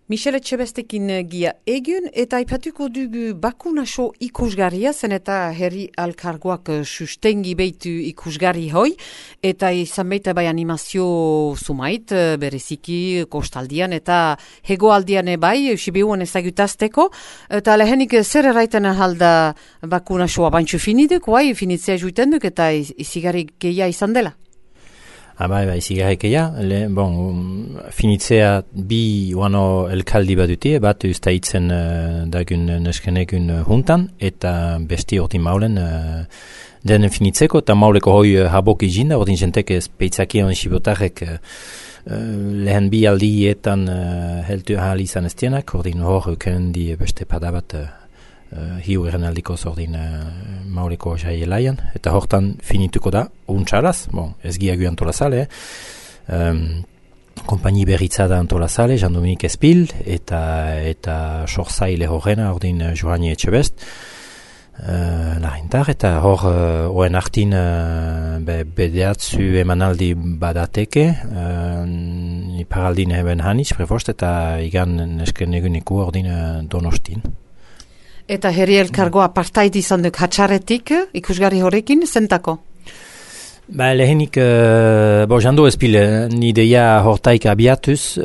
Michel Etxebestekin gia egun eta aipatuko dugu bakunaso ikusgarria zen eta herri alkargoak sustengi beitu ikusgarri hoi eta izan beita bai animazio sumait bereziki kostaldian eta hegoaldian bai Sibiuan ezagutazteko eta lehenik zer erraiten ahalda bakunasoa bantxu finiduk, bai finitzea juiten duk eta izigarri geia izan dela. Bai, zigarrekeia, finitzea bi uano elkaldi baduti, bat ustaitzen dagun neskenegun juntan, eta besti ordin maulen den finitzeko, eta mauleko hoi habok izin da, ordin jentek peitzakion sibotarek lehen bi aldietan heltu ahal izan estienak, ordin hor kendi beste padabat hiu eren ordin mauleko jaielaian, eta hortan finituko da, untxaraz, ez giagu antolazale, kompaini berritza da antolazale, Jean-Dominique Espil, eta sorzaile horrena, ordin Joani Etxebest, larintar, eta hor oen artin bedeatzu emanaldi badateke, iparaldin eben haniz, prefost, eta igan nesken eguniku ordin Donostin. Eta herri elkargoa partait izan duk hatxaretik, ikusgarri horrekin, zentako? Lehenik, jando espil, ideia hortaik abiatuz,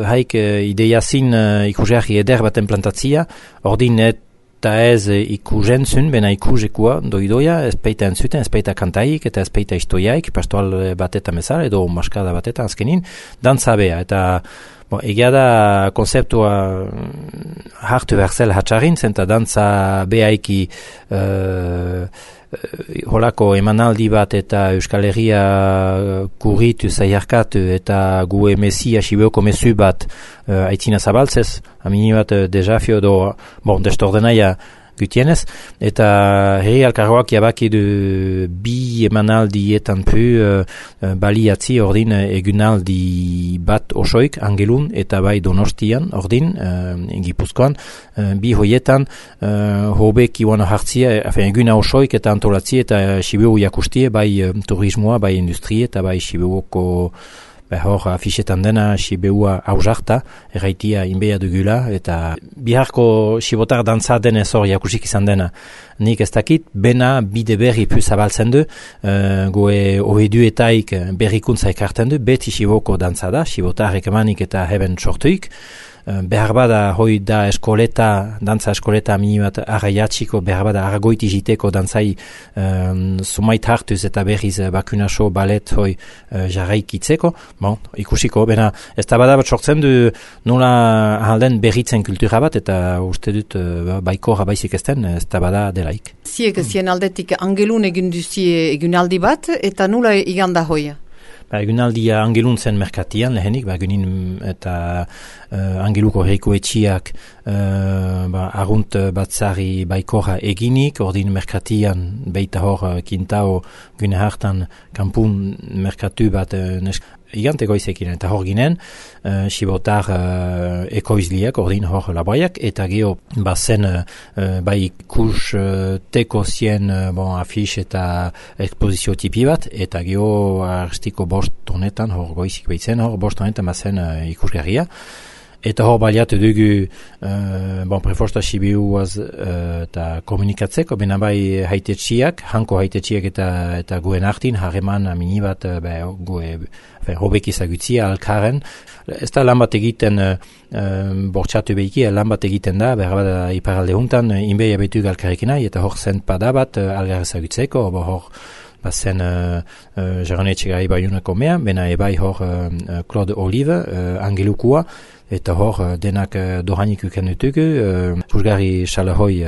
haik ideia zin ikusgarri eder baten plantatzia, ordin eta ez ikusentzun, bena ikusekua doidoia, ez peita entzuten, ez peita kantaik, eta ez peita istoiaik, pastoal bateta mesar, edo maskada bateta azkenin, dantzabea, eta egia da konzeptua hartu behar hatxarin, zenta dantza behaiki holako emanaldi bat eta Euskal Herria kurritu, zaiarkatu eta gu emesia sibeoko mesu bat aitzina zabaltzez, amini bat dezafio do, destordenaia gutienez, eta herri alkargoak jabaki du bi emanaldietan pu baliatzi ordin egunaldi bat osoik Angelun eta bai Donostian ordin Gipuzkoan bi hoietan hobek iwan hartzia eguna osoik eta antolatzi eta Sibiu jakustie bai turismoa, bai industrie eta bai Sibiuko hor afixetan dena Sibeua hausarta, erraitia inbeia dugula, eta biharko sibotar dantza denez hor jakusik izan dena. Nik ez dakit, bena bide berri pu zabaltzen du, goe oheduetaik berrikuntza ekartzen du, beti Siboko dantza da, sibotarek emanik eta heben sortuik, behar bada hoi da eskoleta, dantza eskoleta mini bat arraiatxiko, behar bada argoiti jiteko dantzai sumait hartuz eta berriz bakunaso balet hoi jarraikitzeko, ikusiko, bena ez da bada bat sortzen du nola ahalden berritzen kultura bat eta uste dut baikora baizik ezten, ez da bada delaik. Ziek zien aldetik Angelun egin duzie egunaldi bat eta nola iganda hoia? Egunaldia Angelun zen merkatian lehenik, egunin eta Angeluko herriko etxiak agunt batzari baikora eginik, ordin merkatian beita hor kintao gune hartan kampun merkatu bat igante goizekin eta hor ginen, sibotar ekoizliak, ordin hor laboiak, eta geho bazen bai ikus teko zien afix eta ekspozizio tipi bat, eta geho arstiko bost honetan, hor goizik behitzen, hor bost honetan bazen ikusgarria. Eta hor baliatu dugu prefosta Sibiuaz eta komunikatzeko, bena bai haitetxiak, hanko haitetxiak eta guen artin, harreman amini bat hobek izagutzia alkaren. Ez da lan bat egiten bortxatu behiki, lan bat egiten da, behar bat iparalde huntan, inbeia betu alkarrekina, eta hor zent pada bat algar ezagutzeko, hor bazen Jaranetxegai baiunako mea, bena ebai hor Claude Olive, Angelukua, eta hor denak dohanik uken dutugu, pusgarri salahoi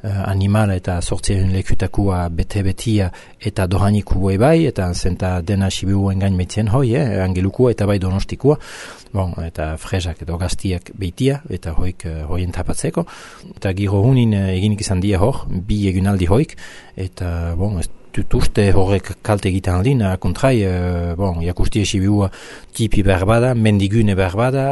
animal eta sortzien lekutakua bete-betia eta dohaniku ebai, eta zenta dena Sibiu engain metzien hoi, Angelukua eta bai Donostikua, eta frezak edo gaztiak beitia, eta hoien tapatzeko. Eta giro hunin eginik izan dia hor, bi egunaldi hoik, eta tutuzte horrek kalte egiten aldin, kontrai, jakusti esibiua tipi berbada, mendigune berbada,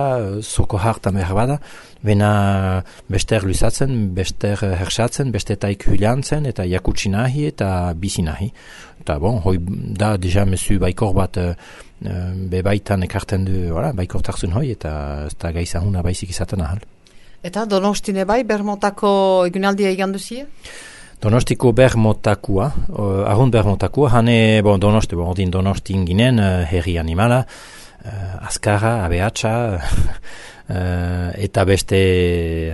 zoko hartan berbada, bena bester luzatzen, bester hersatzen, beste taik huliantzen, eta jakutsi nahi eta bizi nahi. Eta hoi da deja mesu baikor bat bebaitan ekarten du, baikor tarzun hoi, eta ez da gaizahuna baizik izaten ahal. Eta Donostine bai, Bermotako egunaldia egan duzie? Donostiko Bermotakua, arrunt Bermotakua, hane, ordin Donostin ginen, herri animala, azkarra, abeatsa, eta beste,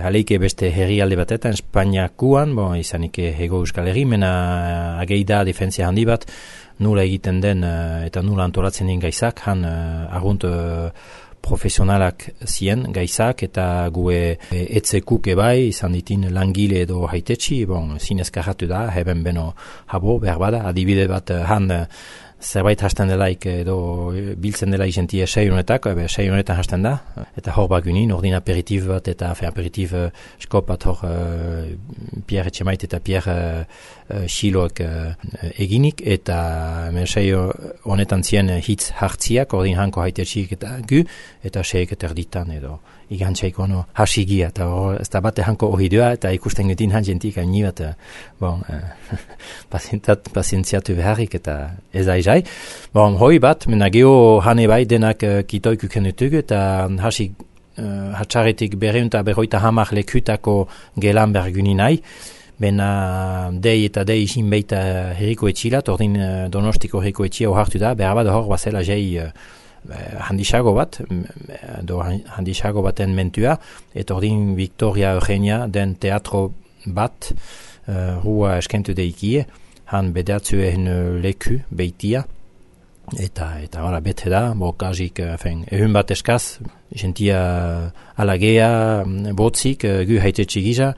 aleike beste herri alde batetan, Espainiakuan, izanik hego euskal herri, mena ageida defentzia handi bat, nula egiten den eta nula antolatzen den gaizak, han arrunt profesionalak zien gaizak eta gue etzekuk ebai izan ditin langile edo haitetxi, zinezkarratu da, heben beno habo, berbada, adibide bat han zerbait hasten delaik edo biltzen dela izentie 6 honetak, 6 honetan hasten da, eta hor bagunin, ordin aperitif bat eta aperitif skop bat hor Pierre Etxemait eta Pierre Xiloek eginik, eta 6 honetan zien hitz hartziak, ordin hanko haitetxik eta gu, eta 6 eterditan edo igantzaiko hasigia, eta hor ez da bate hanko ohidua, eta ikusten gutin hantzенtik haini bat, pazientziatu beharrik, eta ez da izai. Hoi bat, mena geho hane bai denak kitoikuken dutugu, eta hasik hatxaretik berreunta berroita hamar lekutako gelan berguni nahi, bena dei eta dei izin beita herriko etxilat, ordin Donostiko herriko etxia hartu da, behar bat hor bazela jai handisago bat, handisago baten mentua, eta ordin Victoria Eugenia den teatro bat, rua eskentu deikie, han bedatzuen leku beitia, eta bete da, kazik, ehun bat eskaz, jentia alagea, botzik, gu haitetxe giza,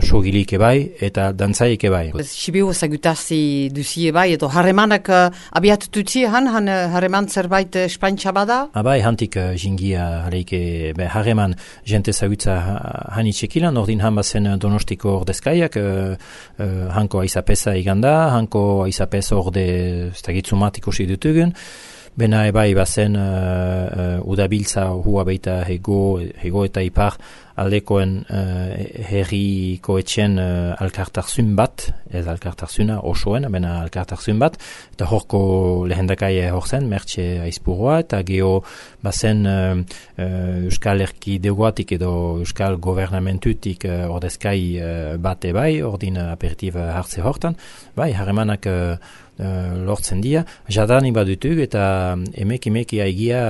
sogilik ebai, eta dantzaik ebai. Sibiu ezagutazi duzi ebai, edo harremanak abiatututzi harreman zerbait espaintza bada? Abai, hantik jingia hareike, harreman jente ezagutza hanitxekilan, ordin han bazen Donostiko ordezkaiak, hanko aizapesa iganda, hanko aizapesa orde stagitzumat ikusi dutugun, bena ebai bazen udabiltza hua beita hego eta ipar aldekoen herriko etxen alkartarzun bat, ez alkartarzuna osoen, bena alkartarzun bat, eta horko lehendakai hor zen, Mertxe Aizpurua, eta geho bazen Euskal Erkidegoatik edo Euskal Gobernamentutik ordezkai bat ebai, ordin aperitif hartze hortan, bai, harremanak lortzen dira, jadanik badutug eta emeki aigia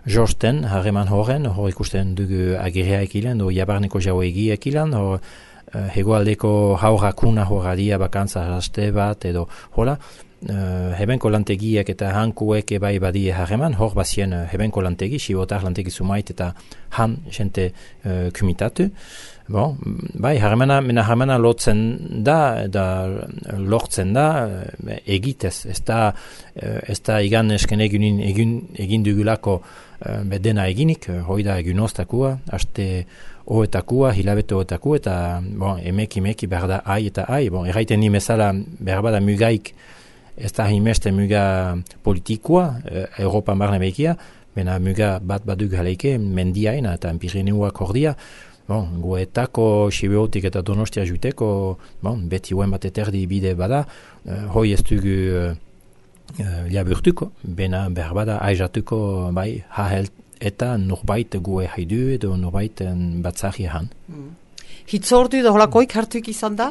jorsten harreman horren, hor ikusten dugu agerea ekilan, do jabarneko jau egia ekilan, hor hegoaldeko haurakuna horradia bakantza haste bat, edo hola, hebenko lantegiak eta hankuek ebai badie harreman, hor bazien hebenko lantegi, sibotar lantegi sumait eta han jente kumitatu. Bai, harremana lotzen da, lortzen da, egitez, ez da igan esken egin dugulako bedena eginik, hoi da egun oztakua, haste oetakua, hilabete oetakua, eta emeki behar da ai eta ai, erraiten ni mesala behar bada mugaik, ez da hainmeste muga politikoa, Europa marne behikia, bena muga bat baduk haleike, mendiaina eta Pirineuak hordia, goetako Sibeotik eta Donostia juteko, beti huen bat eterdi bide bada, hoi ez dugu laburtuko, bena behar bada aizatuko bai, hahelt eta norbait goe haidu edo norbait batzari han. Hitzordu da holakoik hartuik izan da?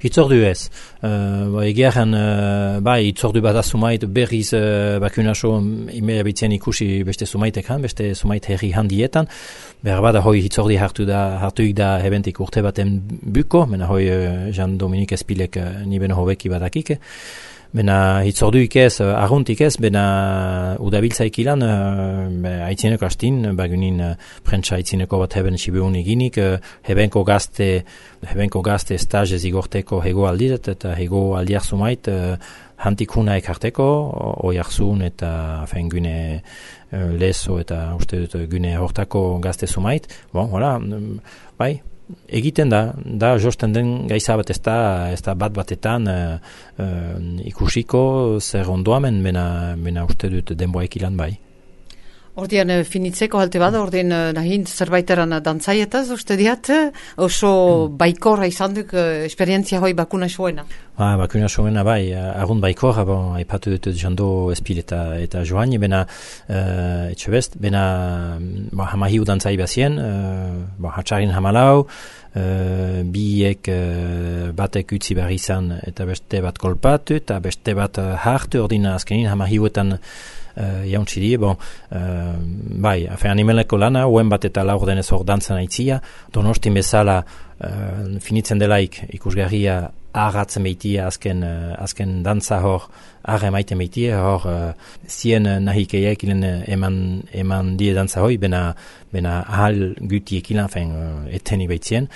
Hitzordu ez. Egearen, hitzordu bat sumait berriz bakunaso imea bitzen ikusi beste sumaitek han, beste sumait herri handietan. Behar bada hoi hitzordi hartuik da hebentik urte baten buko, mena hoi Jean-Dominique Espilek nibeno hobeki badakike. Bena hitzorduik ez, arruntik ez, bena udabiltzaik ilan, haitzineko hastin, bagunin prentsa haitzineko bat heben Sibeun eginik, hebenko gazte stage zigorteko hego aldiret, eta hego aldiak sumait, hantik huna ekarteko, oiarzun eta gune leso eta uste dut gune hortako gazte sumait. Bai, egiten da josten den gaiza bat ez da batetan ikusiko zer ondoamen, mena uste dut denboaik ilan bai. Ordean finitzeko halte bada, ordean nahin zerbaiteran dantzaietaz, uste diat, oso baikorra izan duk esperientzia hoi bakuna soena. Bakuna soena bai, agun baikorra, aipatu dut jando espil eta joan, bena etxe best, bena hamahiu dantzai bazien, hatxarin hamalau, biek batek utzi behar izan eta beste bat kolpatu eta beste bat hartu, ordina azkenin hamahiuetan jauntzi die, bai, animeleko lana, uen bat eta laur denez hor dantzan aitzia, Donostin bezala finitzen delaik ikusgarria agatzen behitia azken dantza hor arra emaiten behitia, hor zien nahikeiak ilen eman die dantza hoi, bena ahal gutiek ilan, eteni behitzien,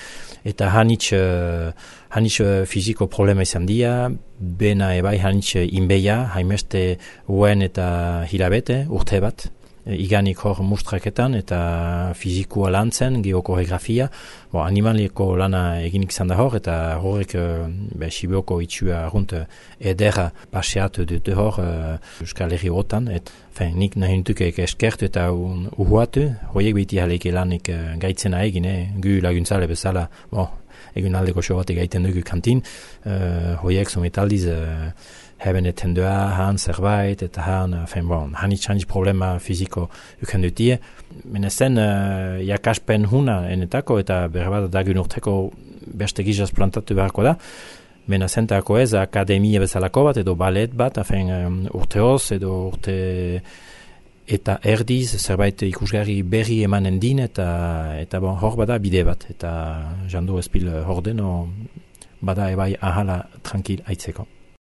eta hanitz fiziko problema izan dia, bena ebai hanitz inbeia, haimeste uen eta hilabete, urte bat, iganik hor mustraketan eta fizikoa lantzen, geokoreografia, animalieko lana eginik izan da hor, eta horrek Sibioko itxua argunt edera paseatu dute hor Euskal Herri hotan, nik nahi nutuk eskertu eta uhuatu, horiek behiti haleike lanik gaitzena egin, gu laguntzale bezala, egun aldeko so bat egaiten dugu kantin, horiek sometaldiz heben etendua, haan zerbait, eta hanitz problema fiziko uken dutie. Menezen, jakaspen huna enetako, eta berbat dagun urteko beste gizaz plantatu beharko da, menazentako ez akademia bezalako bat, edo balet bat, urteoz, edo urte eta erdiz, zerbait ikusgarri berri emanen din, eta hor bada bide bat, eta jandu espil hor deno, bada ebai ahala tranquil aitzeko.